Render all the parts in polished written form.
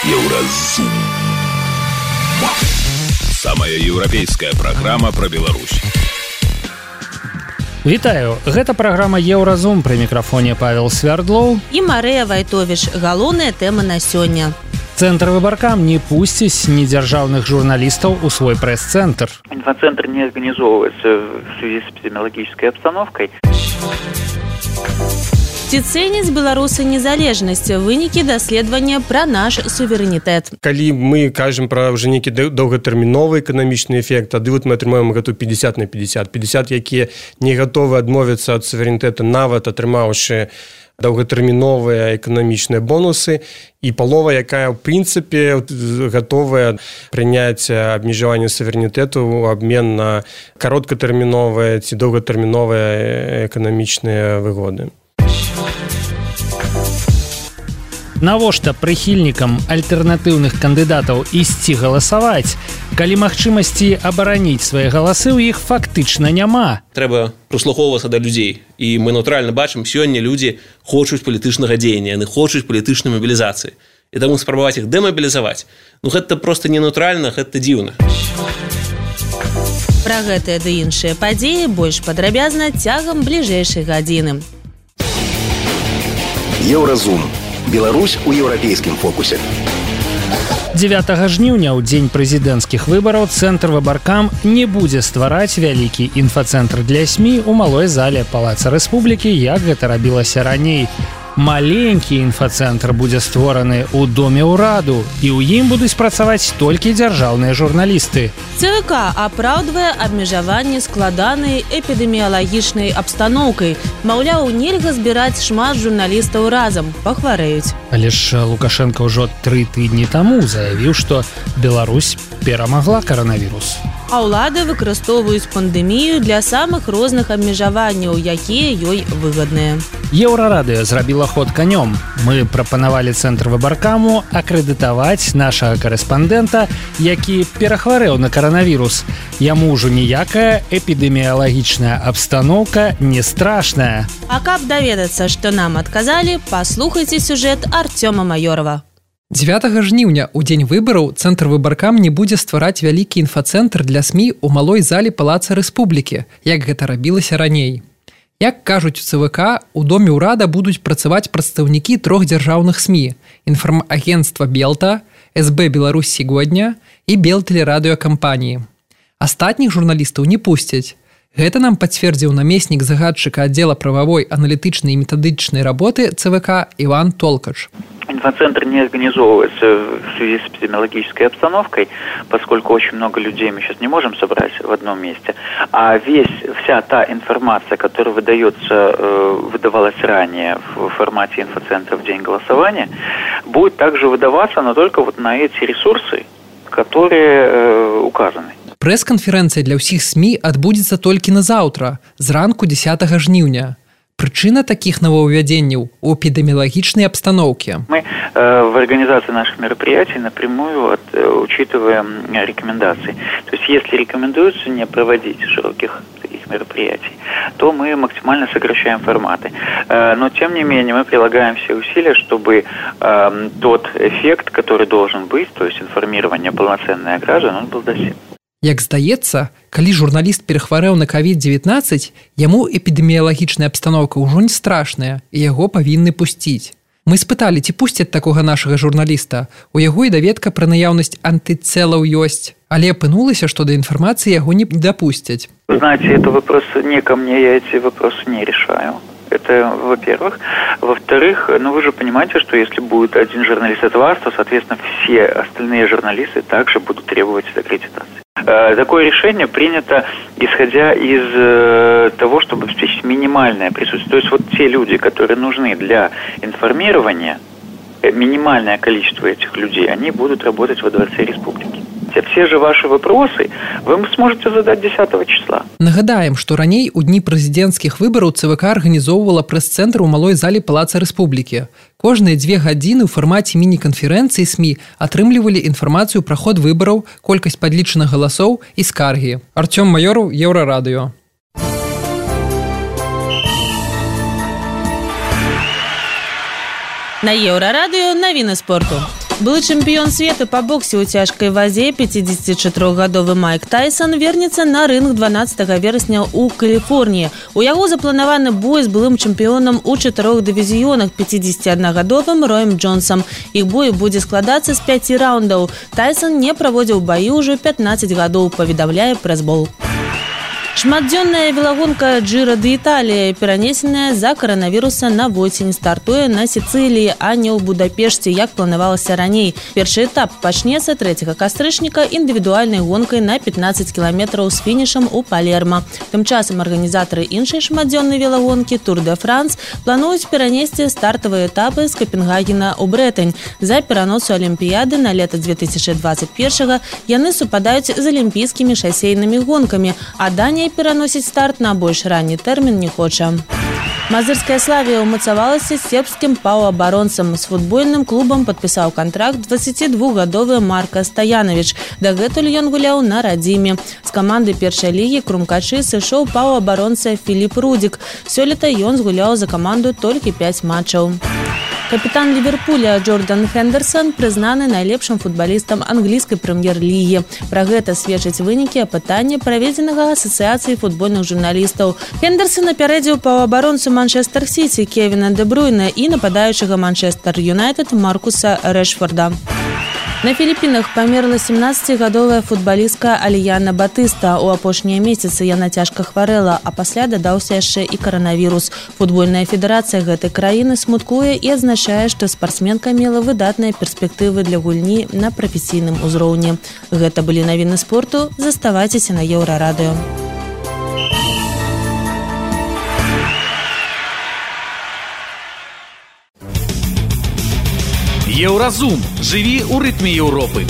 Еўразум. Самая еўрапейская праграма пра Беларусь. Вітаю, гэта праграма Еўразум, пры мікрафоне Павел Свярдлоў і Марыя Вайтовіч. Галоўныя тэмы на сёння. Цэнтр Выбаркам не пусціць недзяржаўных журналістаў у свой прэс-цэнтр. Инфоцентр не организовывается в связи с эпидемиологической обстановкой. Ці цэняць беларусы незалежнасць, вынікі даследавання пра наш суверэнітэт. Калі мы кажам пра ўжо нейкі доўгатэрміновы эканамічны эфект, тады мы атрымаем гэту 50 на 50. 50, якія не гатовы адмовіцца ад суверэнітэта, нават атрымаўшы доўгатэрміновыя эканамічныя бонусы, і палова, якая ў прынцыпе гатовая прыняць абмежаванне суверэнітэту ў абмен на кароткатэрміновыя ці доўгатэрміновыя эканамічныя выгоды. Навошта прыхільнікам альтэрнатыўных кандыдатаў ісці галасаваць, калі магчымасці абараніць свае галасы ў іх фактычна няма? Трэба прыслухоўвацца да людзей. І мы натуральна бачым, сёння людзі хочуць палітычнага дзеяння, яны хочуць палітычнай мабілізацыі. І таму спрабаваць іх дэмабілізаваць, гэта проста не натуральна, гэта дзіўна. Пра гэтыя ды іншыя падзеі больш падрабязна цягам бліжэйшай гадзіны. Еўразум. Беларусь у еўрапейскім фокусе. 9 жніўня, у дзень прэзідэнцкіх выбараў, Цэнтр Выбаркам не будзе ствараць вялікі інфацэнтр для СМІ ў малой зале Палаца Рэспублікі, як гэта рабілася раней. Маленькі інфацэнтр будзе створаны ў Доме ўраду, і ў ім будуць працаваць толькі дзяржаўныя журналісты. ЦВК апраўдвае абмежаванне складанай эпідэміялагічнай абстаноўкай. Маўляў, нельга збіраць шмат журналістаў разам, пахварэюць. Але ж Лукашенко ўжо 3 тыдні таму заявіў, што Беларусь перамагла каранавірус. А ўлады выкарыстоўваюць пандэмію для самых розных абмежаванняў, якія ёй выгадныя. Еўрарадыё зрабіла ход канём. Мы прапанавалі Цэнтр Выбаркаму акрэдытаваць нашага карэспандэнта, які перахварэў на каранавірус. Яму ўжо ніякая эпідэміялагічная абстаноўка не страшная. А каб даведацца, што нам адказалі, паслухайце сюжэт Артёма Маёрова. 9 жніўня, у дзень выбараў, Цэнтр Выбаркам не будзе ствараць вялікі інфацэнтр для СМІ ў малой зале Палаца Рэспублікі, як гэта рабілася раней. Як кажуць у ЦВК, у Доме ўрада будуць працаваць прадстаўнікі 3 дзяржаўных СМІ – інфармагенцтва Белта, СБ Беларусь сегодня і Белтэлерадыёкампаніі. Астатніх журналістаў не пусцяць. Гэта нам пацвердзіў намеснік загадчыка аддзела прававой, аналітычнай і метадычнай работы ЦВК Іван Толкач. Инфоцентр не организовывается в связи с эпидемиологической обстановкой, поскольку очень много людей мы сейчас не можем собрать в одном месте. А вся та информация, которая выдавалась ранее в формате инфоцентра в день голосования, будет также выдаваться, но только вот на эти ресурсы, которые указаны. Прэс-канферэнцыя для ўсіх СМІ адбудзецца толькі на заўтра, зранку 10 жніўня. Причина таких нововведений у эпидемиологичной обстановке. Мы в организации наших мероприятий напрямую учитываем рекомендации. То есть, если рекомендуется не проводить широких таких мероприятий, то мы максимально сокращаем форматы. Но, тем не менее, мы прилагаем все усилия, чтобы тот эффект, который должен быть, то есть информирование полноценное граждан, он был достигнут. Як здаецца, калі журналіст перахварэў на COVID-19, яму эпідэміялагічная абстаноўка ўжо не страшная, і яго павінны пусціць. Мы спыталі, ці пусцяць такога нашага журналіста. У яго і даведка пра наяўнасць антыцелаў ёсць, але апынулася, што да інфармацыі яго не дапусцяць. Вы знаете, это вопрос не ко мне, я эти вопросы не решаю. Это, во-первых. Во-вторых, вы же понимаете, что если будет один журналист от вас, то, соответственно, все остальные журналисты также будут требовать аккредитации. Такое решение принято, исходя из того, чтобы обеспечить минимальное присутствие. То есть вот те люди, которые нужны для информирования, минимальное количество этих людей, они будут работать во Дворце Республики. Все же ваши вопросы вы сможете задать 10 числа. Нагадаем, што раней у дні прэзідэнцкіх выбараў ЦВК арганізоўвала прэс-цэнтр у малой зале Палаца Рэспублікі. Кожныя 2 гадзіны ў фармаце міні-канферэнцыі СМІ атрымлівалі інфармацыю пра ход выбараў, колькасць падлічаных галасоў і скаргі. Артём Маёров, Еўрарадыё. На Еўрарадыё навіны спорту. Былы чэмпіён свету па боксе ў цяжкай вазе 54-гадовы Майк Тайсон вернецца на рынг 12 верасня ў Каліфорніі. У яго запланаваны бой з былым чэмпіёнам у 4 дывізіёнах 51-гадовым Роем Джонсом. Іх бой будзе складацца з 5 раундаў. Тайсон не праводзіў баі ўжо 15 гадоў, паведамляе прэс-бол. Шматдзённая велагонка Джира д'Італія, перанесеная з-за каранавіруса на восень, стартуе на Сіцыліі, а не ў Будапешце, як планавалася раней. Першы этап пачнецца 3 кастрычніка індывідуальнай гонкай на 15 кіламетраў з фінішам у Палерма. Тым часам арганізатары іншай шматдзённай велагонкі Тур де Франс плануюць перанесці стартавыя этапы з Капенгагена ў Брэтань. За пераносу Алімпіяды на лета 2021 яны супадаюць з алімпійскімі шасейнымі гонкамі, а Данія пераносіць старт на больш ранні тэрмін не хоча. Мазырская Славія ўмацавалася з сербскім паўабаронцам. З футбольным клубам падпісаў кантракт 22-гадовы Марка Стаянович. Дагэтуль ён гуляў на радзіме. З каманды першай лігі Крумкачы сышоў паўабаронца Філіп Рудзік. Сёлета ён згуляў за каманду толькі 5 матчаў. Капітан Ліверпуля Джордан Хендерсон прызнаны найлепшым футбалістам англійскай прэм'ер-лігі. Пра гэта сведчаць вынікі апытання, праведзенага асацыяцыяй футбольных журналістаў. Хендерсон апярэдзіў паўабаронцу Манчестер Сіці Кевіна Де Брюйна і нападаючага Манчестер Юнайтед Маркуса Рэшфорда. На Філіпінах памерла 17-гадовая футбалістка Аліяна Батыста. У апошнія месяцы яна цяжка хварэла, а пасля дадаўся яшчэ і каранавірус. Футбольная федэрацыя гэтай краіны смуткуе і адзначае, што спартсменка мела выдатныя перспектывы для гульні на прафесійным узроўні. Гэта былі навіны спорту. Заставайцеся на Еўрарадыё. Еўразум. Жыві ў рытме Еўропы.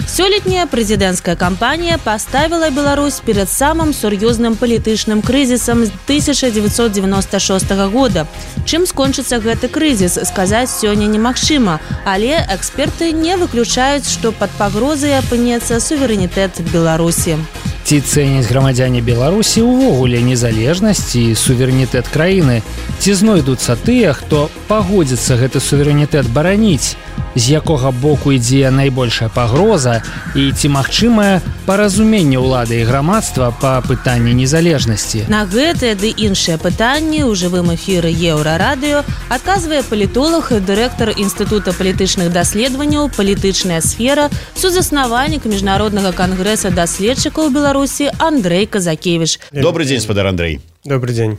Сёлетняя прэзідэнцкая кампанія паставіла Беларусь перад самым сур'ёзным палітычным крызісам з 1996 года. Чым скончыцца гэты крызіс, сказаць сёння немагчыма, але эксперты не выключаюць, што пад пагрозай апынецца суверэнітэт Беларусі. Ці цэняць грамадзяне Беларусі ўвогуле незалежнасць і суверэнітэт краіны? Ці знойдуцца тыя, хто пагодзіцца гэты суверэнітэт бараніць? З якога боку ідзе найбольшая пагроза і ці магчымае паразуменне ўлады і грамадства па пытанні незалежнасці? На гэтыя ды іншыя пытанні ў жывым эфіры Еўрарадыё адказвае палітолог і дырэктар Інстытута палітычных даследаванняў «Палітычная сфера», сузаснавальнік Міжнароднага кангрэса даследчыкаў Беларусі Андрэй Казакевіч. Добрый день, спадар Андрэй. Добрый день.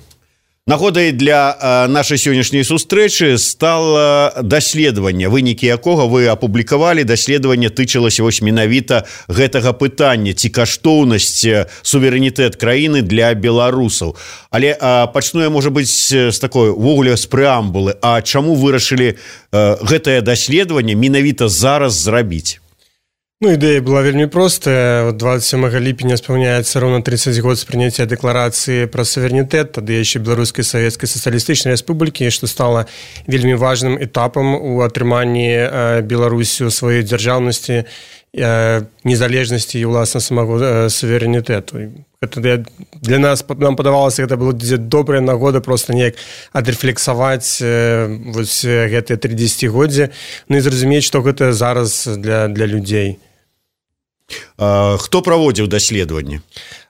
Нагодай для нашай сённяшняй сустрэчы стала даследаванне, вынікі якога вы апублікавалі. Даследаванне тычылася вось менавіта гэтага пытання, ці каштоўнасць суверэнітэт краіны для беларусаў. Але пачну я, можа быць, з такой увогуле з прэамбулы. А чаму вырашылі гэтае даследаванне менавіта зараз зрабіць? Ну, ідэя была вельмі простая. 27 ліпеня спаўняецца роўна 30 год з прыняцця дэкларацыі пра суверэнітэт, тады яшчэ Беларускай Савецкай Сацыялістычнай Рэспублікі, што стала вельмі важным этапам у атрыманні Беларусю сваёй дзяржаўнасці, незалежнасці і, уласна, самого суверэнітэту. Для нас, нам падавалася, гэта было добрая нагода проста неяк адрэфлексаваць вось гэтыя 30годдзі, ну і зразумець, што гэта зараз для людзей. Хто праводзіў даследаванне?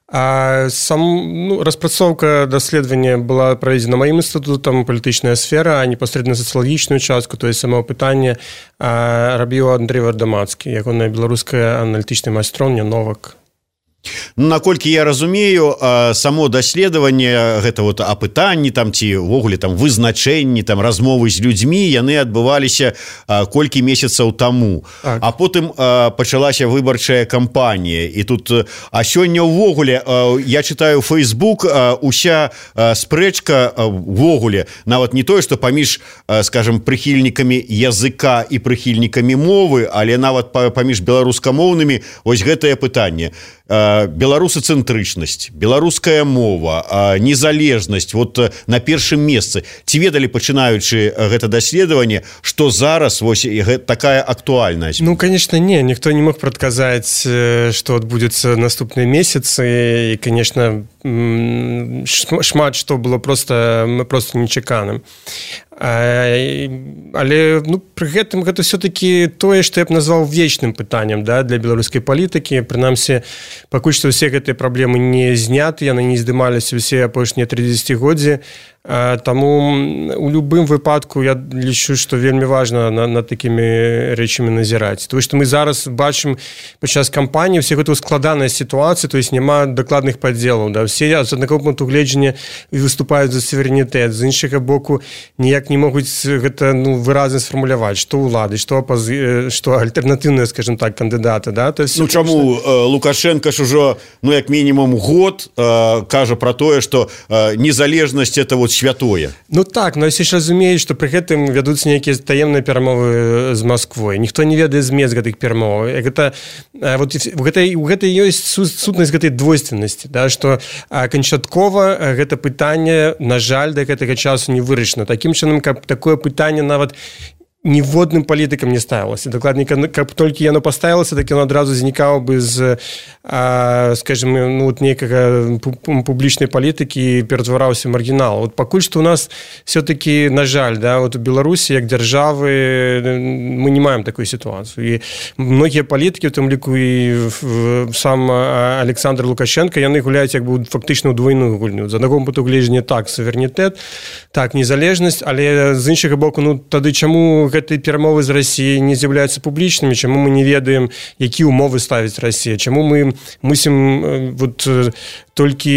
Распрацоўка даследавання была праведзена маім інстытутам «Палітычная сфера», а непасрэдна сацыялагічную частку, то есть самого пытання, рабіў Андрэй Вардамацкі, ягоная беларуская аналітычная майстроўня «Новак». Наколькі я разумею, само даследаванне, гэта вот апытанні там ці ўвогуле там вызначэнні, там размовы з людзьмі, яны адбываліся колькі месяцаў таму. Так. А потым пачалася выбарчая кампанія. І тут, а сёння ўвогуле, я чытаю Facebook, уся спрэчка ўвогуле, нават не тое, што паміж, скажем, прыхільнікамі языка і прыхільнікамі мовы, але нават паміж беларускамоўнымі, вось гэтае пытанне. Беларусацэнтрычнасць, беларуская мова, незалежнасць вот на першым месцы. Ці ведалі, пачынаючы гэта даследаванне, што зараз вось такая актуальнасць? Ну, конечно, не. Ніхто не мог прадказаць, што адбудзецца наступныя месяцы. І, конечно, шмат што было просто нечаканым. Але пры гэтым гэта все-таки тое, што я б назваў вечным пытаннем, да, для беларускай палітыкі. Прынамсі, пакуль што ўсе гэтыя праблемы не зняты, яны не здымаліся ўсе апошнія 30годдзі. Таму у любым выпадку я лічу, што вельмі важна над такімі рэчамі назіраць. Тому што мы зараз бачым падчас кампаніі ўсе гэта складаная сітуацыя, то есть няма дакладных падзелаў. Да? Все з аднаго пункту гледжання выступаюць за суверэнітэт, з іншага боку ніяк не могуць гэта выразна сфармуляваць, што ўлады, што альтэрнатыўныя, скажем так, кандыдаты. Да? Чаму Лукашенко ж ужо як мінімум год кажа пра тое, што незалежнасць это вот святое. Так, но ўсе ж разумеюць, што пры гэтым вядуцца нейкія таемныя перамовы з Масквой. Ніхто не ведае змест гэтых перамоваў. У гэтай ёсць сутнасць гэтай двойственнасці, да, што канчаткова гэта пытанне, на жаль, да гэтага часу не вырашана. Такім чынам, каб такое пытанне нават ніводным палітыкам не ставілася. Дакладней, каб толькі яно паставілася, так яно адразу знікала бы з, скажем, нейкага публічнай палітыкі і ператвараўся маргінал. Пакуль што у нас все-таки, на жаль, да, у Беларусі, як дзяржавы, мы не маем такую сітуацыю. І многія палітыкі, у тым ліку і сам Александр Лукашенко, яны гуляюць як бы фактычна ў двойную гульню. З аднаго пункту гледжання так суверэнітэт, так незалежнасць, але з іншага боку, тады чаму гэтыя перамовы з Расіяй не з'яўляюцца публічнымі, чаму мы не ведаем, якія умовы ставіць Расія, чаму мы мусім толькі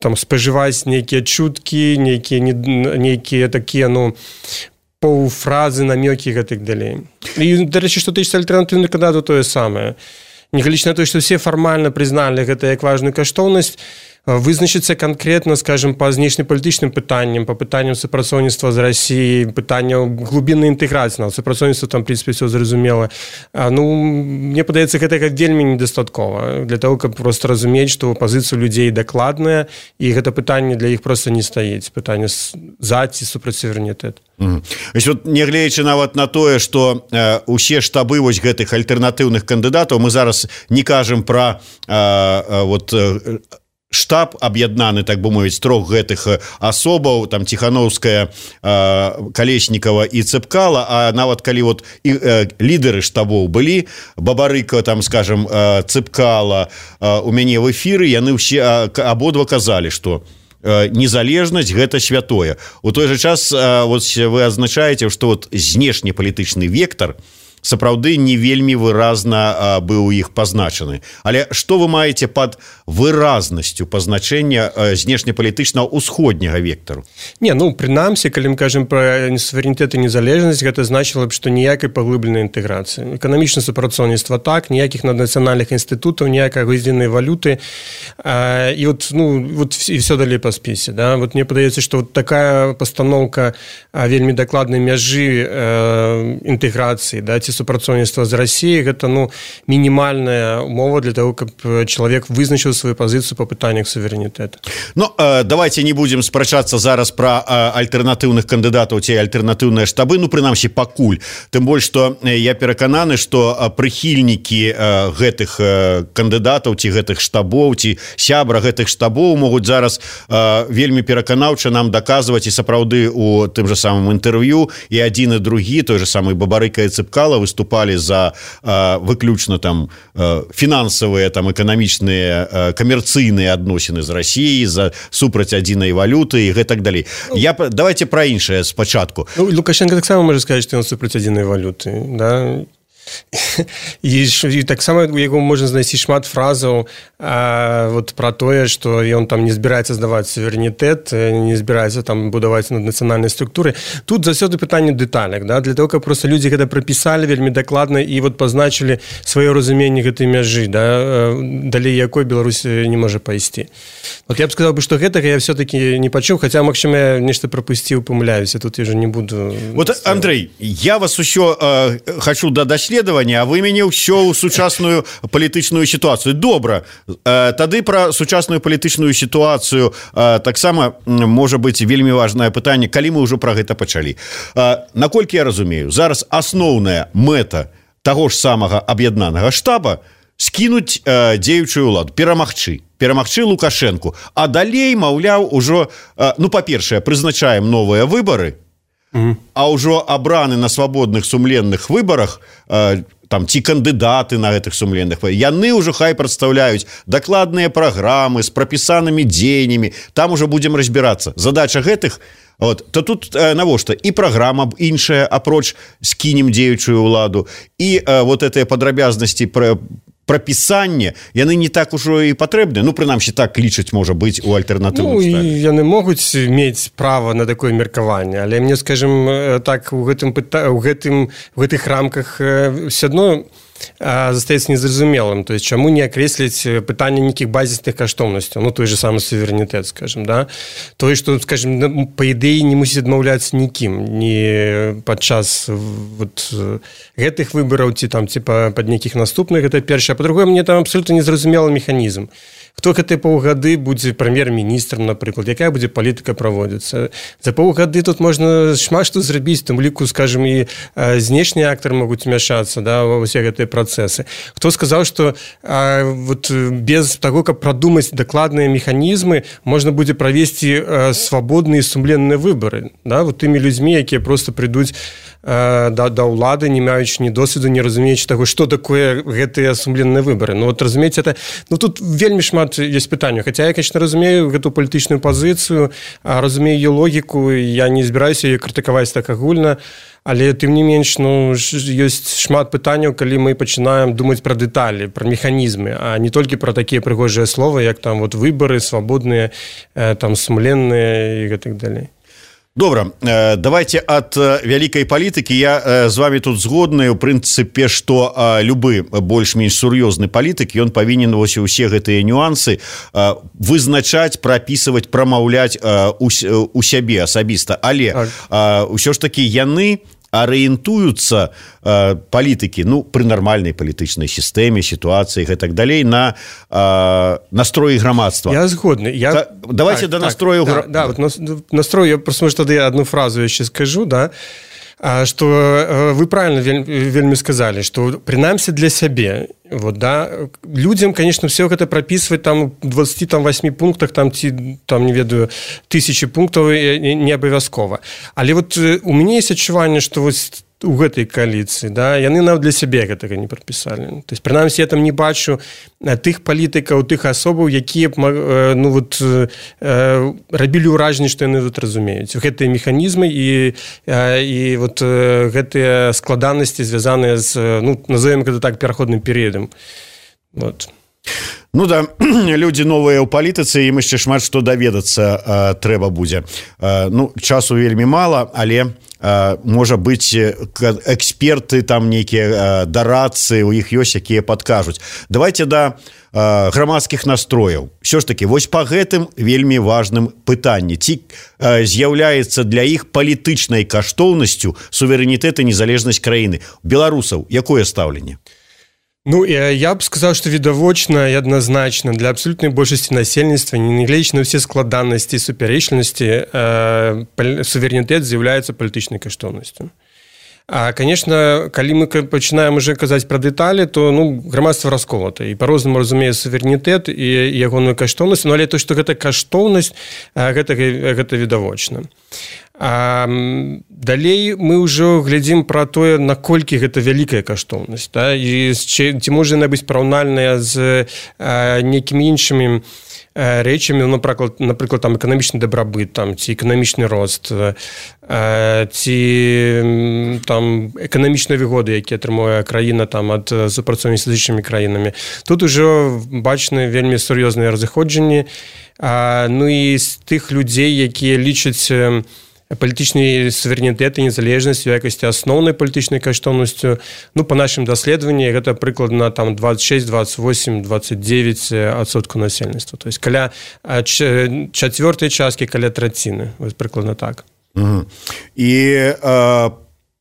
спажываць нейкія чуткі, нейкія такія, паўфразы, намёкі і гэтак далей. І, дарэчы, што тычыцца альтэрнатыўных кандыдатаў, тое самае. Нягледзячы на тое, што ўсе фармальна прызналі гэта як важную каштоўнасць, вызначыцца канкрэтна, скажем, па знешнепалітычным пытанням, па пытанням супрацоўніцтва з Расіяй, пытанняў глубіннай інтэграцыі, супрацоўніцтва там, в прынцыпе, все зразумела. Мне падаецца, гэтага вельмі недастаткова для того, каб проста разумець, што пазіцыя людзей дакладная, і гэта пытанне для іх проста не стаіць. Пытанне за ці супраць суверэнітэт. Нягледзячы нават на тое, што усе штабы вось гэтых альтэрнатыўных кандыдатаў, мы зараз не кажам пра штаб аб'яднаны, так бы мовіць, трох гэтых асобаў, там Ціхановская, Калеснікава і Цэпкала, а нават калі лідары штабоў былі, Бабарыка, там, скажем, Цэпкала у мяне в эфіры, яны ўсе абодва казалі, што незалежнасць гэта святое. У той жа час вы адзначаеце, што знешнепалітычны вектар сапраўды не вельмі выразна быў у іх пазначаны. Але што вы маеце пад выразнасцю пазначэння знешнепалітычнага ўсходняга вектару? Прынамсі, калі мы кажам пра суверэнітэт і незалежнасць, гэта значыла б, што ніякай паглыбленай інтэграцыі. Эканамічнае супрацоўніцтва так, ніякіх наднацыянальных інстытутаў, ніякай адзінай валюты, і все далей па спісе. Да? Мне падаецца, што такая пастаноўка вельмі дакладнай мяжы інтэграцыі, да, ці супрацоўніцтва з Расіяй, гэта мінімальная умова для того, каб чалавек вызначыў сваю пазіцыю па пытаннях суверэнітэта. Давайте не будзем спрачацца зараз пра альтэрнатыўных кандыдатаў ці альтэрнатыўныя штабы, прынамсі пакуль. Тым больш, што я перакананы, што прыхільнікі гэтых кандыдатаў ці гэтых штабоў, ці сябра гэтых штабоў могуць зараз вельмі пераканаўча нам даказваць, і сапраўды у тым жа самым інтэрв'ю і адзін і другі, той же самы Бабарыка і Цэпкала выступалі за выключна там фінансавыя, там эканамічныя, камерцыйныя адносіны з Расіяй, за супраць адзінай валюты і гэтак далей. Давайте пра іншае спачатку. Лукашенко таксама можа сказаць, што ён супраць адзінай валюты, да? І таксама у яго можна знайсці шмат фразаў пра тое, што ён там не збіраецца здаваць суверэнітэт, не збіраецца там будаваць наднацыянальнай структуры. Тут заўсёды пытанне дэталях, да? Для того, каб проста людзі гэта прапісалі вельмі дакладна і пазначылі сваё разуменне гэтай мяжы, да? Далей якой Беларусь не можа пайсці. Я б сказаў, што гэтага я все-таки не пачуў, хаця, магчыма, я нешта прапусціў, памыляюся, тут я ўжо не буду... Андрей, я вас усё хочу да даследавання, а вы мяне ўсё ў сучасную палітычную сітуацыю. Добра, тады пра сучасную палітычную сітуацыю таксама можа быць вельмі важнае пытанне, калі мы ўжо пра гэта пачалі. Наколькі я разумею, зараз асноўная мэта таго ж самага аб'яднанага штаба скінуць дзеючую ўладу, перамагчы. перамагчы Лукашенку, а далей, маўляў, ужо, ну, па-першае, прызначаем новыя выбары, а ўжо абраны на свабодных сумленных выбарах там ці кандыдаты на гэтых сумленных, яны ўжо хай прадстаўляюць дакладныя праграмы з прапісанымі дзеяннямі, там ужо будзем разбірацца. Задача гэтых, то тут навошта і праграма іншая, апроч скінем дзеючую ўладу, і вот гэтыя падрабязнасці прапісанне, яны не так ужо і патрэбны, ну, прынамсі, так лічыць, можа быць, у альтэрнатыўным стане. Ну, яны могуць мець права на такое меркаванне, але мне, скажем, так, у гэтых рамках все адно застаецца незразумелым, то есть чаму не акрэсліць пытанне нейкіх базісных каштоўнасцяў, ну, той же самы суверэнітэт, скажем, да, тое, што, скажем, па ідэі не мусіць адмаўляцца нікім, ні падчас вот гэтых выбараў, ці там, ці пад нейкіх наступных, гэта першае, а па-другое, мне там абсолютно незразумелы механізм. Хто гэтыя паўгады будзе прэм'ер-міністрам, напрыклад, якая будзе палітыка праводзіцца. За паўгады тут можна шмат што зрабіць, тым ліку, скажем, і знешнія актары могуць мяшацца, да, ва ўсе гэтыя працэсы. Хто сказаў, што вот без таго, каб прадумаць дакладныя механізмы, можна будзе правесці свабодныя сумленныя выбары, да, вот тымі людзьмі, якія проста прыйдуць да ўлады, не маючы ні досведу, не разумеючы таго, што такое гэтыя сумленныя выбары. Ну, вот разумееце, это, ну, тут вельмі шмат ёсць пытанняў. Хаця я, конечно, разумею гэту палітычную пазіцыю, разумею ее логіку, я не збіраюся яе крытыкаваць так агульна, але тым не менш, ну, ёсць шмат пытанняў, калі мы пачынаем думаць пра дэталі, пра механізмы, а не толькі пра такія прыгожыя словы, як там вот выбары свабодныя, там сумленныя і гэтак далей. Добра, давайте ад вялікай палітыкі. Я з вами тут згодны, у прынцыпе, што любы больш-менш сур'ёзны палітык, ён павінен вось усе гэтыя нюансы вызначаць, прапісваць, прамаўляць у сябе асабіста. Але ўсё ж такі яны арыентуюцца, палітыкі, ну, пры нармальнай палітычнай сістэме, сітуацыі і так далей, на настроі грамадства. Я згодны. Давайте да настрою... Да, вот настрой, я просто, может, тады одну фразу яшчэ скажу, да, что вы правильно вельмі сказали, что принамсі для сябе, вот, да, людям, конечно, все гэта прапісваць там в 28 пунктах, там, ці, там, не ведаю, 1000 пунктаў не абавязкова. Але вот у мяне есть адчуванне, что вот у гэтай кааліцыі, да, яны нават для сябе гэтага не прапісалі. То есть, прынамсі, я там не бачу тых палітыкаў, тых асобаў, якія б, ну, вот, рабілі ўражанне, што яны тут разумеюць. Гэтыя механізмы і вот гэтыя складанасці, звязаныя з, ну, назовем гэта так, пераходным перыядам. Вот. Ну да, людзі новыя ў палітыцы, ім яшчэ шмат што даведацца трэба будзе. Ну, часу вельмі мала, але можа быць, эксперты там нейкія дарадцы, у іх ёсць, якія падкажуць. Давайте да грамадскіх настрояў. Ўсё ж такі, вось па гэтым вельмі важным пытанні. Ці з'яўляецца для іх палітычнай каштоўнасцю суверэнітэт і незалежнасць краіны. Беларусаў якое стаўленне? Ну, я б сказаў, што відавочна і адназначна для абсалютнай большасці насельніцтва, нягледзячы на ўсе складанасці і супярэчлівасці, суверэнітэт з'яўляецца палітычнай каштоўнасцю. А, конечно, калі мы пачынаем уже казаць пра дэталі, то, ну, грамадства расколата і па-рознаму разумее суверэнітэт і ягоную каштоўнасць, ну, але то, што гэта каштоўнасць, гэта відавочна. А далей мы ўжо глядзім пра тое, наколькі гэта вялікая каштоўнасць, да? І ці можа яна быць параўнальная з нейкімі іншымі рэчамі, напрыклад, там эканамічны дабрабыт, там, ці эканамічны рост, ці там эканамічныя выгоды, якія атрымуе краіна там ад супрацоўніцтва з іншымі краінамі. Тут ужо бачны вельмі сур'ёзныя разыходжанні. Ну і з тых людзей, якія лічаць палітычны суверэнітэт і незалежнасць у якасці асноўнай палітычнай каштоўнасцю, ну, па нашым даследаванні гэта прыкладна там 26, 28, 29% насельніцтва. То есть каля чацвёртай часткі, каля траціны. Вось прыкладна так. І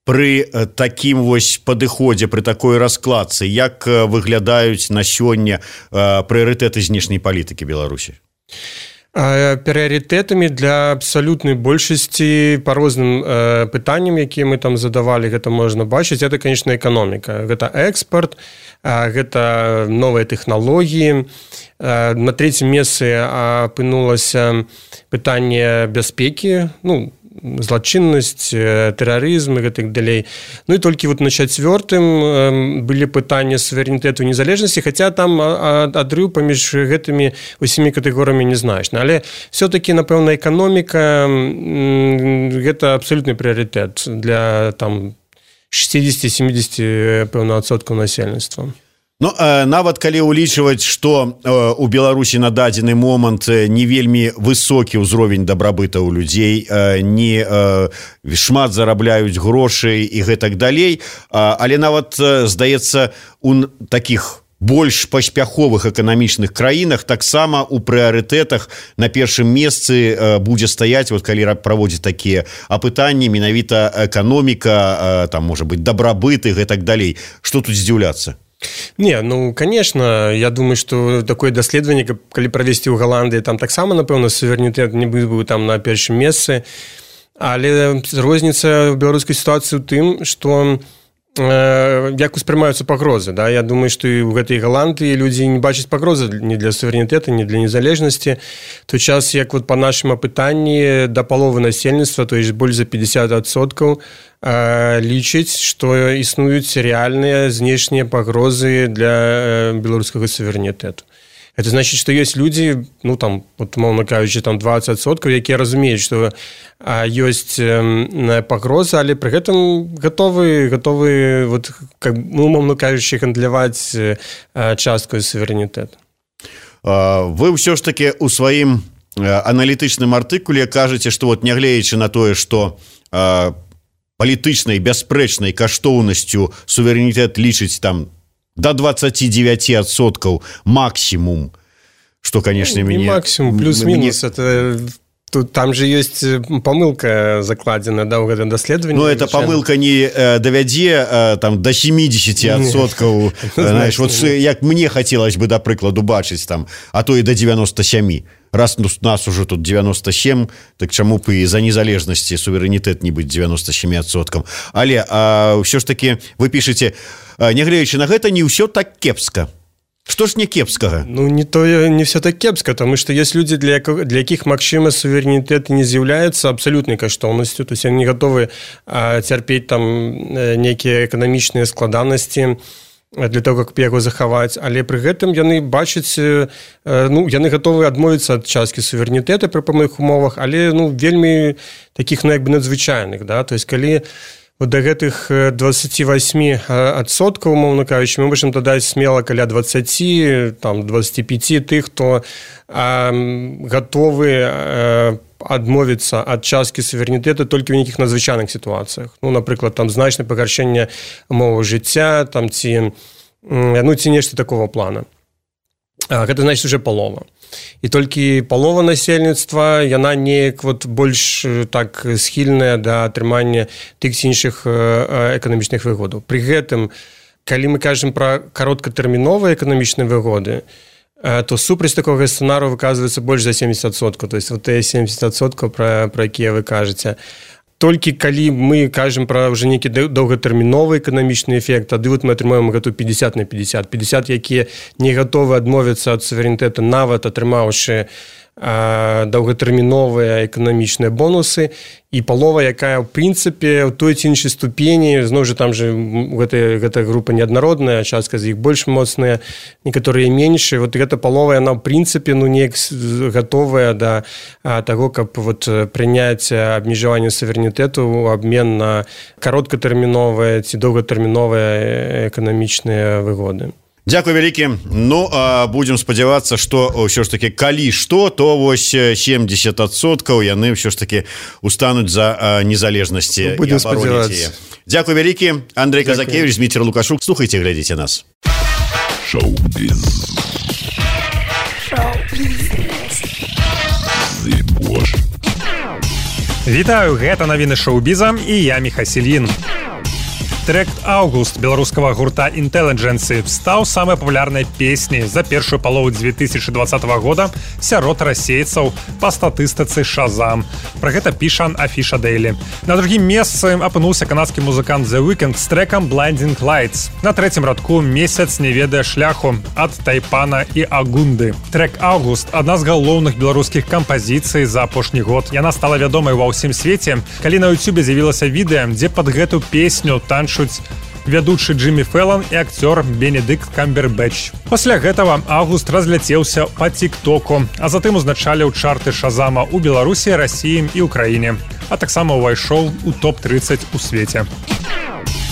пры такім вось падыходзе, пры такой раскладцы, як выглядаюць на сёння прыярытэты знешняй палітыкі Беларусі? Прыярытэтамі для абсалютнай большасці па розным пытанням, якія мы там задавалі, гэта можна бачыць, это, конечно, эканоміка. Гэта экспорт, гэта новыя тэхналогіі. На трэцім месцы апынулася пытанне бяспекі, злачыннасць, тэрарызм і гэтак далей. І толькі на чацвёртым былі пытанні суверэнітэту і незалежнасці, хаця там адрыў паміж гэтымі усімі катэгорыямі незначны. Але все-таки, напэўна, эканоміка гэта абсалютны прыярытэт для 60-70% насельніцтва. Нават калі ўлічваць, што у Беларусі на дадзены момант не вельмі высокі ўзровень дабрабыта ў людзей, не шмат зарабляюць грошай і гэтак далей, але нават, здаецца, у такіх больш паспяховых эканамічных краінах таксама у прыярытэтах на першым месцы будзе стаяць, калі праводзіць такія апытанні, менавіта эканоміка, там можа быць дабрабыт і гэтак далей. Што тут здзіўляцца? Не, конечно, я думаю, что такое даследаванне, калі правесці ў Галандыі, там таксама, напэўна, суверэнітэт не быў там на першым месцы, але розніца ў беларускай сітуацыі ў тым, што як успрымаюцца пагрозы. Я думаю, што і ў гэтай Галандыі людзі не бачаць пагрозы ні для суверэнітэта, ні для незалежнасці. Той час, як па нашым апытанні да паловы насельніцтва, то есть больш за 50%, лічыць, што існуюць рэальныя знешнія пагрозы для беларускага суверэнітэту. Это значит, што ёсць людзі, умоўна кажучы, 20%, якія разумеюць, што ёсць пагроза, але пры гэтым гатовы, умоўна кажучы, гандляваць часткаю суверэнітэту. Вы ўсё ж таки ў сваім аналітычным артыкуле кажаце, што нягледзячы на тое, што палітычнай бясспрэчнай каштоўнасцю суверэнітэт лічыць там до 29% максимум, что, конечно, не максимум, плюс-минус, это там же есть помылка закладена, да, в этом даследовании. Но эта помылка не довядзе там до 70%, знаешь, вот як мне хотелось бы, до прикладу, бачыць там, а то и до 97%. Раз у нас уже тут 97, так чаму б і за незалежнасці суверэнітэт не быць 97%. Але ўсё ж таки вы пішаце, нягледзячы на гэта, не ўсё так кепска. Што ж не кепскага? Не все так кепска, потому что есть люди, для якіх, магчыма, суверэнітэт не з'яўляецца абсалютнай каштоўнасцю, то есть они готовы цярпець там нейкія эканамічныя складанасці для того, как яго захаваць, але пры гэтым яны бачаць, яны готовы адмовіцца ад часткі суверэнітэта пры пэўных умовах, але вельмі таких надзвычайных, да, то есть калі до гэтых 28%, умоўна кажучы, мы можам дадаць смела каля 20, там 25 тых, хто готовы адмовіцца ад часткі суверэнітэта толькі ў нейкіх надзвычайных сітуацыях. Напрыклад, там значнае пагаршэнне умоваў жыцця, там ці нешта такого плана. Гэта значыць уже палова. І толькі палова насельніцтва, яна неяк больш так схільная да атрымання тых ці іншых эканамічных выгодаў. Пры гэтым, калі мы кажам пра кароткатэрміновыя эканамічныя выгоды, то супраць такога сцэнару выказваецца больш за 70%. То есть тыя 70%, пра якія вы кажаце. Толькі калі мы кажам пра ўжо нейкі доўгатэрміновы эканамічны эфект, тады мы атрымаем гэту 50 на 50. 50, якія не гатовы адмовіцца ад суверэнітэта, нават атрымаўшы доўгатэрміновыя эканамічныя бонусы, і палова, якая, ў прынцыпе, ў той ці іншай ступені, зноў жа там же гэта група неаднародная, частка з іх больш моцная, некаторыя меншыя, гэта палова, яна, ў прынцыпе, неяк гатовая да таго, каб прыняць абмежаванне суверэнітэту ў абмен на кароткатэрміновыя ці доўгатэрміновыя эканамічныя выгоды. Дзякуй вялікі. Будзем спадзявацца, што ўсё ж таки калі што, то 70% яны ўсё ж такі устануць за незалежнасці і абароніць яе. Дзякуй вялікі. Андрэй Казакевич, Дмітрий Лукашук. Слухайце, глядзіце нас. Шоу-біз. Вітаю, гэта навіны шоу-біза і я Міхась Ільін. Трек «Август» беларускага гурта «Intelligence» стаў самай папулярнай песняй за першую палову 2020 года сярод расейцаў па статыстыцы Shazam. Пра гэта піша Афіша Daily. На другім месцы апынуўся канадскі музыкант The Weeknd з трэкам «Blinding Lights». На трэцім радку «Месяц не ведае шляху» ад Тайпана і Агунды. Трек «Август» — адна з галоўных беларускіх кампазіцый за апошні год. Яна стала вядомай ва ўсім свеце, калі на YouTube з'явілася відэа, дзе пад гэту песню танчуць вядучы Джиммі Фэллон і акцёр Бенедикт Камбербэтч. Пасля гэтага «Август» разляцеўся па тик-току, а затым узначаліў чарты Шазама ў Беларусі, Расіі і ўкраіне, а таксама ўвайшоў у топ-30 у свеце.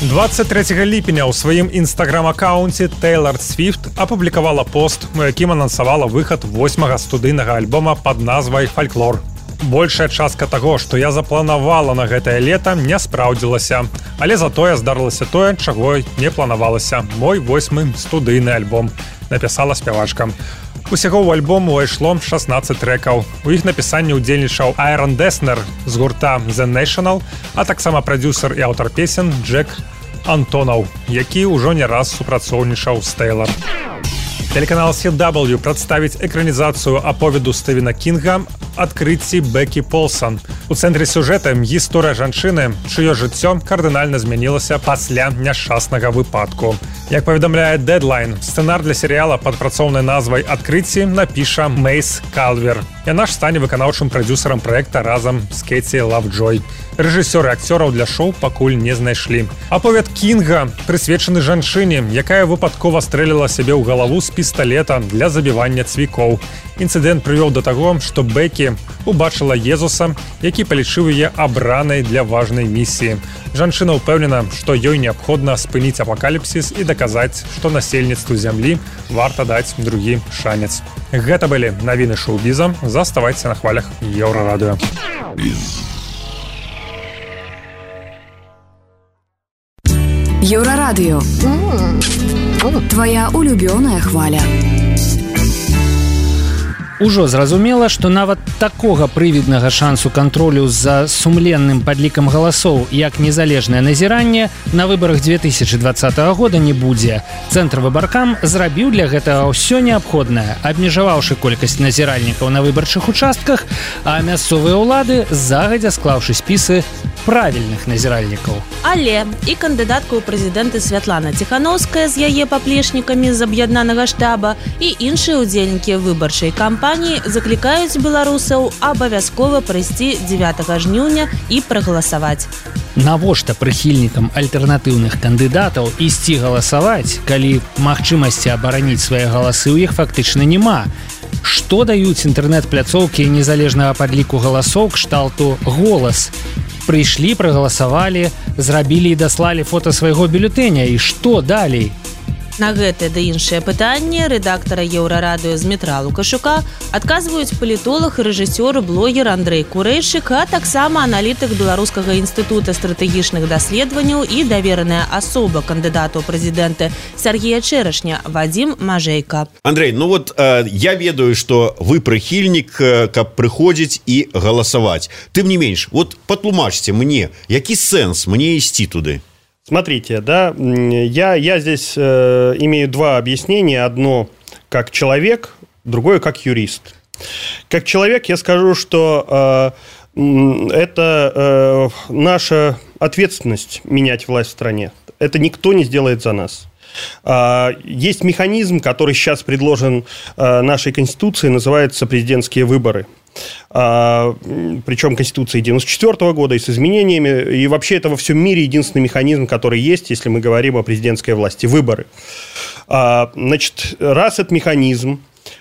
23 ліпеня ў сваім інстаграм-аккаунце Тейлор Свіфт апублікавала пост, у якім анансавала выхад 8-га студыйнага альбома пад назвай «Фальклор». Большая частка таго, што я запланавала на гэтае лета, не спраўдзілася. Але затое здарылася тое, чаго не планавалася. Мой 8-й студыйны альбом, напісала спявачка. Усяго ў альбом увайшло 16 трэкаў. У іх напісанні ўдзельнічаў Айрон Деснер з гурта The National, а таксама прадзюсар і аўтар песен Джек Антонаў, які ўжо не раз супрацоўнічаў з Тейлор. Телеканал CW прадставіць экранізацыю аповеду Стывена Кінга «Адкрыцці Бекі Полсон». У цэнтры сюжэта гісторыя жанчыны, чыё жыццё кардынальна змянілася пасля няшчаснага выпадку. Як паведамляе Deadline, сцэнар для серыяла пад працоўнай назвай «Адкрыцці» напіша Мейс Калвер. Яна ж стане выканаўчым прадзюсарам праекта разам з Кэці Лавджой. Рэжысёры акцёраў для шоу пакуль не знайшлі. Аповед Кінга прысвечаны жанчыне, якая выпадкова стрэліла сябе ў галаву з пісталета для забівання цвікоў. Інцыдэнт прывёў да таго, што Бекі убачыла Езуса, які палічыў яе абранай для важнай місіі. Жанчына ўпэўнена, што ёй неабходна спыніць апакаліпсіс і даказаць, што насельніцтву зямлі варта даць другі шанец. Гэта былі навіны шоу-біза. Заставайце на хвалях Еўрарадыё. Еўрарадыё. Твоя улюбёная хваля. Ужо зразумела, што нават такога прывіднага шансу кантролю за сумленным падлікам галасоў, як незалежнае назіранне, на выбарах 2020 года не будзе. Цэнтр выбаркам зрабіў для гэтага ўсё неабходнае, абмежаваўшы колькасць назіральнікаў на выбарчых участках, а мясцовыя ўлады загадзя склаўшы спісы правільных назіральнікаў. Але і кандыдатка ў прэзідэнты Святлана Ціханаўская з яе паплечнікамі з аб'яднанага штаба і іншыя ўдзельнікі выбарчай кампаніі заклікаюць беларусаў абавязкова прыйсці 9 жніўня і прагаласаваць. Навошта прыхільнікам альтэрнатыўных кандыдатаў ісці галасаваць, калі магчымасці абараніць свае галасы ў іх фактычна няма? Што даюць інтэрнэт-пляцоўкі незалежнага падліку галасоў кшталту «Голас»? Прыйшлі, прагаласавалі, зрабілі і даслалі фота свайго бюлетэня. І што далей? На гэтае ды іншыя пытанні рэдактара Еўрарадыё Змітра Лукашука адказваюць палітолог і рэжысёр і блогер Андрэй Курэйчык, а таксама аналітык Беларускага інстытута стратэгічных даследаванняў і давераная асоба кандыдата ў прэзідэнты Сергея Чэрашня Вадзім Мажэйка. Андрей, ну вот я ведаю, что вы прыхільнік, каб прыходзіць і галасаваць. Тым не менш, вот патлумачце мне, які сэнс мне ісці туды? Смотрите, да, я здесь имею два объяснения. Одно как человек, другое как юрист. Как человек я скажу, что это наша ответственность менять власть в стране. Это никто не сделает за нас. Есть механизм, который сейчас предложен нашей Конституцией, называется президентские выборы. Причем Конституции 1994 года и с изменениями. И вообще это во всем мире единственный механизм, который есть, если мы говорим о президентской власти. Выборы. Значит, раз этот механизм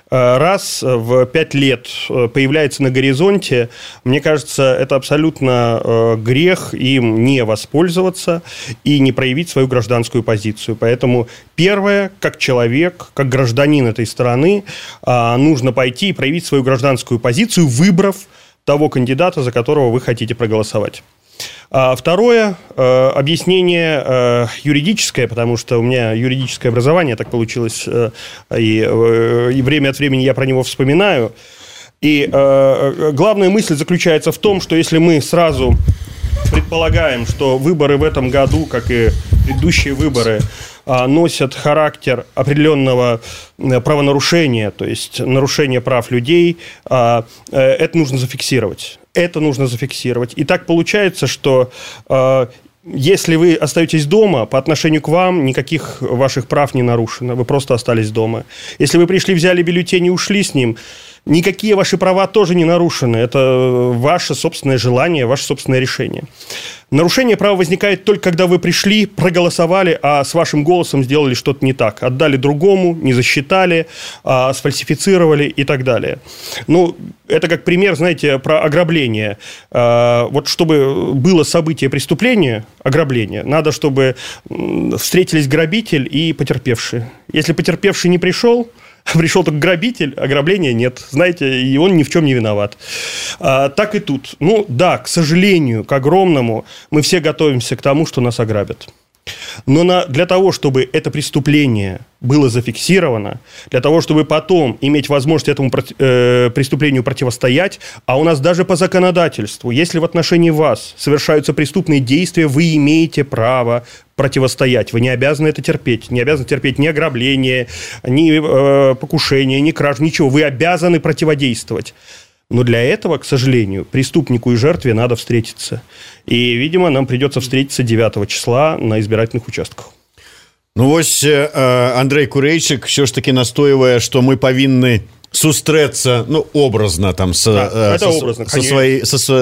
раз в 5 лет появляется на горизонте, мне кажется, это абсолютно грех им не воспользоваться и не проявить свою гражданскую позицию. Поэтому первое, как человек, как гражданин этой страны, нужно пойти и проявить свою гражданскую позицию, выбрав того кандидата, за которого вы хотите проголосовать. Второе объяснение юридическое, потому что у меня юридическое образование, так получилось, и время от времени я про него вспоминаю. И главная мысль заключается в том, что если мы сразу предполагаем, что выборы в этом году, как и предыдущие выборы, носят характер определенного правонарушения, то есть нарушения прав людей, это нужно зафиксировать. И так получается, что если вы остаетесь дома, по отношению к вам никаких ваших прав не нарушено, вы просто остались дома. Если вы пришли, взяли бюллетень и ушли с ним, никакие ваши права тоже не нарушены. Это ваше собственное желание, ваше собственное решение. Нарушение права возникает только когда вы пришли, проголосовали, а с вашим голосом сделали что-то не так. Отдали другому, не засчитали, сфальсифицировали и так далее. Ну, это как пример, знаете, про ограбление. Вот чтобы было событие преступления, ограбление, надо, чтобы встретились грабитель и потерпевший. Если потерпевший не пришел только грабитель, ограбления нет. Знаете, и он ни в чем не виноват. Так и тут. Ну, да, к сожалению, к огромному, мы все готовимся к тому, что нас ограбят. Но для того, чтобы это преступление было зафиксировано, для того, чтобы потом иметь возможность этому преступлению противостоять, а у нас даже по законодательству, если в отношении вас совершаются преступные действия, вы имеете право противостоять. Вы не обязаны это терпеть. Не обязаны терпеть ни ограбление, ни покушение, ни кражу, ничего. Вы обязаны противодействовать. Но для этого, к сожалению, преступнику и жертве надо встретиться. И, видимо, нам придется встретиться 9 числа на избирательных участках. Ну, вось Андрей Курэйчык все ж таки настойвае, што мы павінны сустрэцца, ну, образна там со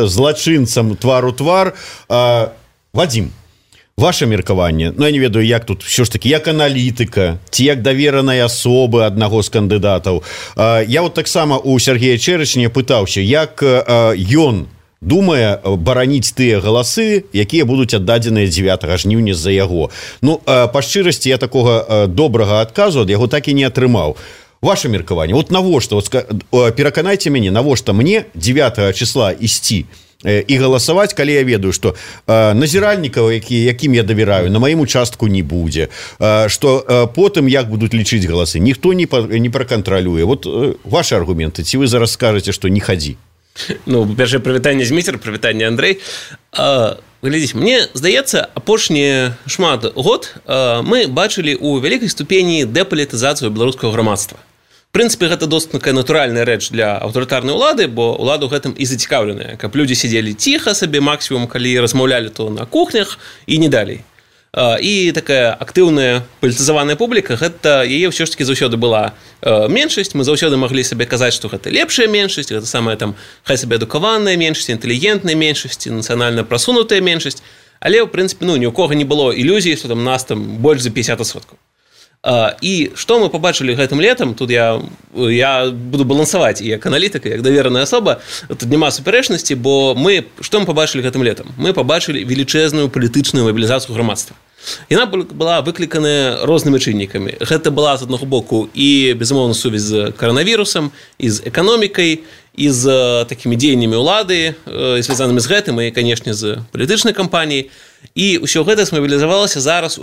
злачынцам твар у твар. Вадим, ваше меркаванне, ну, я не ведаю, як тут все ж таки, як аналітыка, ці як даверанай асобы аднаго з кандыдатаў. Я вот таксама у Сергея Чэрачня пытаўся, як ён думае бараніць тыя галасы, якія будуць аддадзеныя 9 жніўня з-за яго. Ну, па шчырасці, я такога добрага адказу ад яго так і не атрымаў. Ваше меркаванне, вот навошта, пераканайце мяне, навошта мне 9 числа ісці і галасаваць, калі я ведаю, што назіральнікаў, якім я давяраю, на маім участку не будзе, што потым як будуць лічыць галасы, ніхто не пракантралюе. Вот ваши аргументы, ці вы зараз скажаце, што не хадзі? Ну, па-першае, прывітанне Зміцер, прывітанне Андрэй. Глядзіце, мне здаецца, апошні шмат год мы бачылі ў вялікай ступені дэпалітызацыю беларускага грамадства. В прынцыпе, гэта досыць такая натуральная рэч для аўтарытарнай улады, бо ўлада ў гэтым і зацікаўленая, каб людзі сидзелі ціха сабе, максімум, калі размаўлялі то на кухнях і не далей. І такая актыўная палітызаваная публіка, гэта яе ўсё ж таки заўсёды была меншасць, мы заўсёды маглі сабе казаць, што гэта лепшая меншасць, гэта самая там хай сабе адукаваная меншасць, інтэлігентная меншасць, нацыянальна прасунутая меншасць, але ў прынцыпе, ну, ні ў кого не было ілюзіі, што там нас там больш за 50%. І што мы пабачылі гэтым летам, тут я буду балансаваць і як аналітыка, як давераная асоба, тут няма супярэчнасці, бо што мы пабачылі гэтым летам? Мы пабачылі велічэзную палітычную мабілізацыю грамадства. Яна была выкліканая рознымі чыннікамі. Гэта была, з аднаго боку, і, безумоўна, сувязь з каранавірусам, і з эканомікай, і з такімі дзеяннямі ўлады, звязанымі з гэтым, і, канешне, з палітычнай кампаніяй. І ўсё гэта смабілізавалася зараз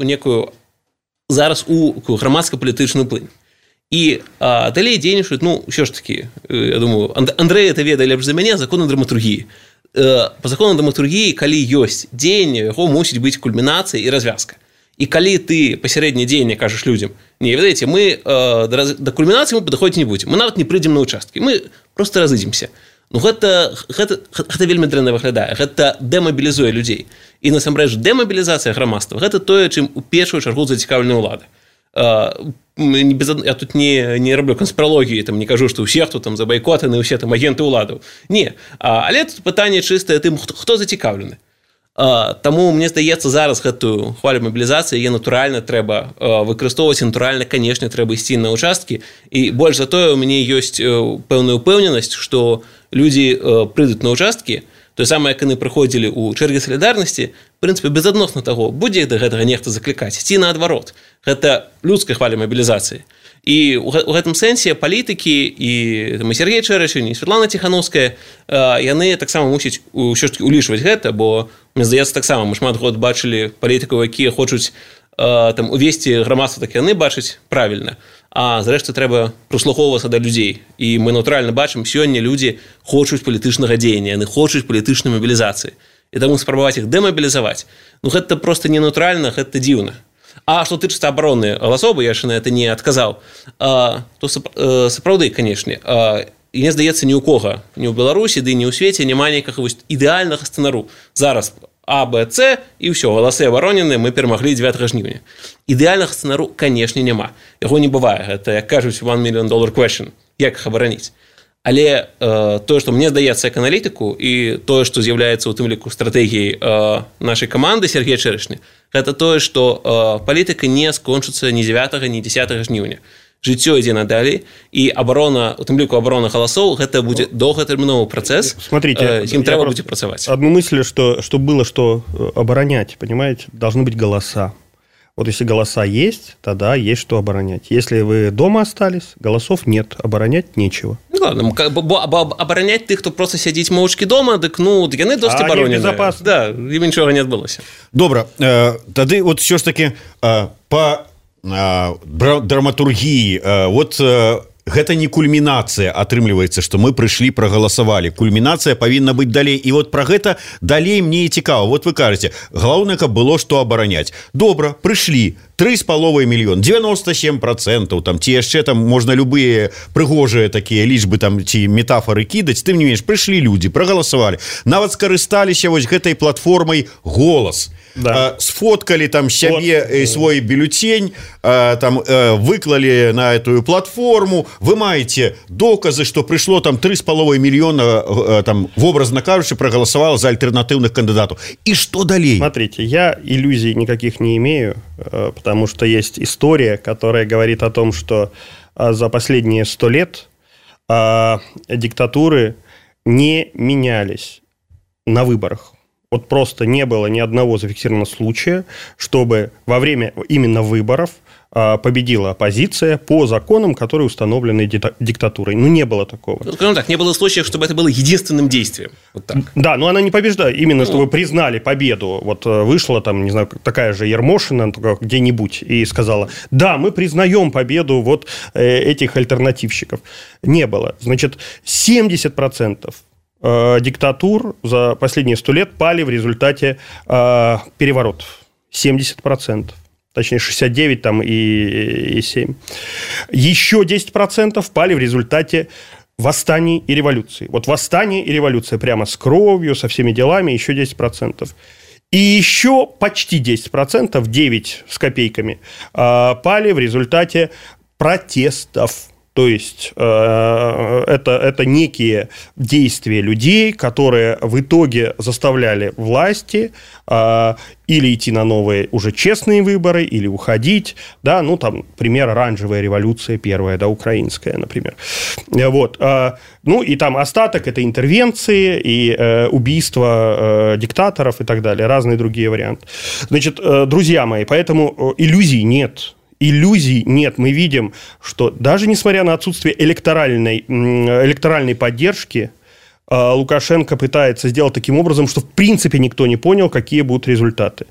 у грамадска-палітычную плынь. І далей дзейнічаюць, ну, ўсё ж такі, я думаю, Андрэй это ведае лепш за мяне, законы драматургіі. Па закону драматургіі, калі ёсць дзеянне, яго мусіць быць кульмінацыя і развязка. І калі ты пасярэдняе дзеянне кажаш людзям, не, ведаеце, мы да кульмінацыі мы падыходзіць не будзем, мы нават не прыйдзем на участкі, мы просто разыдземся. Ну, гэта вельмі дрэнна выглядае, гэта дэмабілізуе людзей. І насамрэч дэмабілізацыя грамадства гэта тое, чым у першую чаргу зацікаўлены ўлады. Я тут не раблю канспіралогіі, там не кажу, што ўсе, хто там за байкотаны, усе там агенты ўладаў. Не, але тут пытанне чыстае тым, хто зацікаўлены. Таму мне здаецца, зараз гэтую хвалю мабілізацыі яе натуральна трэба выкарыстоўваць, натуральна, канешне, трэба ісці на участкі. І больш за тое, у мяне ёсць пэўная ўпэўненасць, што людзі прыйдуць на участкі, тое самае, як яны прыходзілі ў чэргі салідарнасці, в прынцыпе, безадносна таго, будзе да гэтага нехта заклікаць, ці наадварот. Гэта людская хваля мабілізацыі. І ў гэтым сэнсе палітыкі і Сергей Чэрачын, і Святлана Ціхановская, яны таксама мусяць ўсё ж таки улічваць гэта, бо, мне здаецца, таксама мы шмат год бачылі палітыкаў, якія хочуць там увесці грамадства, так яны бачаць правільна. А зрэшты трэба прыслухоўвацца да людзей. І мы натуральна бачым, сёння людзі хочуць палітычнага дзеяння, яны хочуць палітычнай мабілізацыі. і таму спрабаваць іх дэмабілізаваць, ну гэта просто ненатуральна, гэта дзіўна. А што тычыцца абароны галасоў, я яшчэ на это не адказаў, то сапраўды, канешне, і мне здаецца, ні ў кога, ні ў Беларусі, ды ні ў свеце няма нейкага ідэальнага сцэнару. Зараз А, Б, С, і ўсё, галасы абаронены, мы перамаглі 9 жніўня. Ідэальнага сцэнару, канешне, няма. Яго не бывае. Гэта, як кажуць, $1 million question. Як іх абараніць? Але тое, што мне здаецца як аналітыку, і тое, што з'яўляецца ў тым ліку стратэгіяй нашай каманды Сергея Чэрэшні, гэта тое, што палітыка не скончыцца ні 9, ні 10 жніўня. Жыццё ідзе надалей, і абарона, у тым ліку абарона галасоў, гэта будзе доўгатэрміновы працэс, ім трэба будзе працаваць. Одну мысль, что было, что оборонять, понимаете, должны быть голоса. Вот если голоса есть, тогда есть что оборонять. Если вы дома остались, голосов нет, оборонять нечего. Ну ладно, оборонять тых, хто просто сядзіць моўчкі дома, дык ну яны досыць абаронены. Да, ім нічога не адбылося. Добра, тады вот все ж таки по драматургіі, вот гэта не кульмінацыя, атрымліваецца, што мы прыйшлі, прагаласавалі. Кульмінацыя павінна быць далей. І вот пра гэта далей мне і цікава. Вот вы кажаце, галоўнае, каб было што абараняць. Добра, прыйшлі, 3,5 мільёна, 97%, там, ці яшчэ там можна любыя прыгожыя такія лічбы там, ці метафоры кідаць, тым не менш, прыйшлі людзі, прагаласавалі. Нават скарысталіся вось гэтай платформай «Голас». Да. Сфоткали там себе свой бюллетень, там выклали на эту платформу. Вы маете доказы, что пришло там 3,5 миллиона, там, образно кажучи, проголосовало за альтернативных кандидатов. И что далее? Смотрите, я иллюзий никаких не имею, потому что есть история, которая говорит о том, что за последние 100 лет диктатуры не менялись на выборах. Вот просто не было ни одного зафиксированного случая, чтобы во время именно выборов победила оппозиция по законам, которые установлены диктатурой. Ну, не было такого. Ну, скажем так, не было случаев, чтобы это было единственным действием. Вот так. Да, но она не побеждает. Именно, чтобы признали победу. Вот вышла там, не знаю, такая же Ермошина где-нибудь и сказала, да, мы признаем победу вот этих альтернативщиков. Не было. Значит, 70% диктатур за последние 100 лет пали в результате переворотов. 70%. Точнее, 69 там и 7. Еще 10% пали в результате восстаний и революций. Вот восстание и революция прямо с кровью, со всеми делами, еще 10%. И еще почти 10%, 9 с копейками, пали в результате протестов. То есть это некие действия людей, которые в итоге заставляли власти или идти на новые уже честные выборы, или уходить. Да? Ну, там, пример, оранжевая революция первая, да, украинская, например. Вот. Ну, и там остаток – это интервенции и убийства диктаторов и так далее, разные другие варианты. Значит, друзья мои, поэтому иллюзий нет. Иллюзий нет. Мы видим, что даже несмотря на отсутствие электоральной поддержки, Лукашенко пытается сделать таким образом, что в принципе никто не понял, какие будут результаты.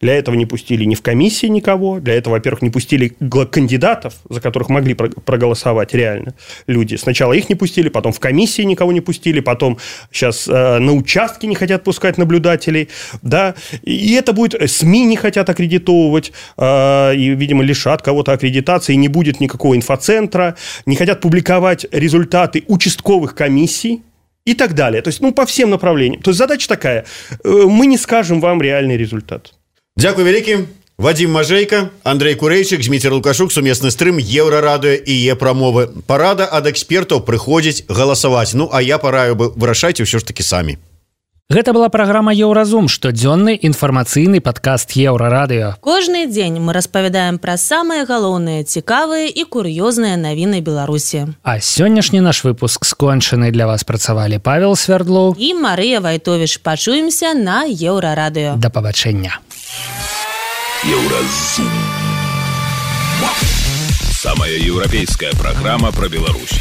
Для этого не пустили ни в комиссии никого, для этого, во-первых, не пустили кандидатов, за которых могли проголосовать реально люди. Сначала их не пустили, потом в комиссии никого не пустили, потом сейчас на участке не хотят пускать наблюдателей. Да? И это будет... СМИ не хотят аккредитовывать, и, видимо, лишат кого-то аккредитации, не будет никакого инфоцентра, не хотят публиковать результаты участковых комиссий, и так далее. То есть, ну, по всем направлениям. То есть, задача такая. Мы не скажем вам реальный результат. Дякую вялікі. Вадим Мажейка, Андрей Курэйчык, Зміцер Лукашук, сумесны стрым Еўрарадыё і Е-прамовы. Парада ад экспертаў прыходзіць галасаваць. Ну, а я параю бы вырашайце ўсё ж такі самі. Гэта была праграма «Еўразум», штодзённы інфармацыйны падкаст Еўрарадыё. Кожны дзень мы распавядаем пра самыя галоўныя, цікавыя і кур'ёзныя навіны Беларусі. А сённяшні наш выпуск скончаны. Для вас працавалі Павел Свердлоў і Марыя Вайтовіч. Пачуемся на Еўрарадыё. Да пабачэння. Еўразум. Самая еўрапейская праграма пра Беларусь.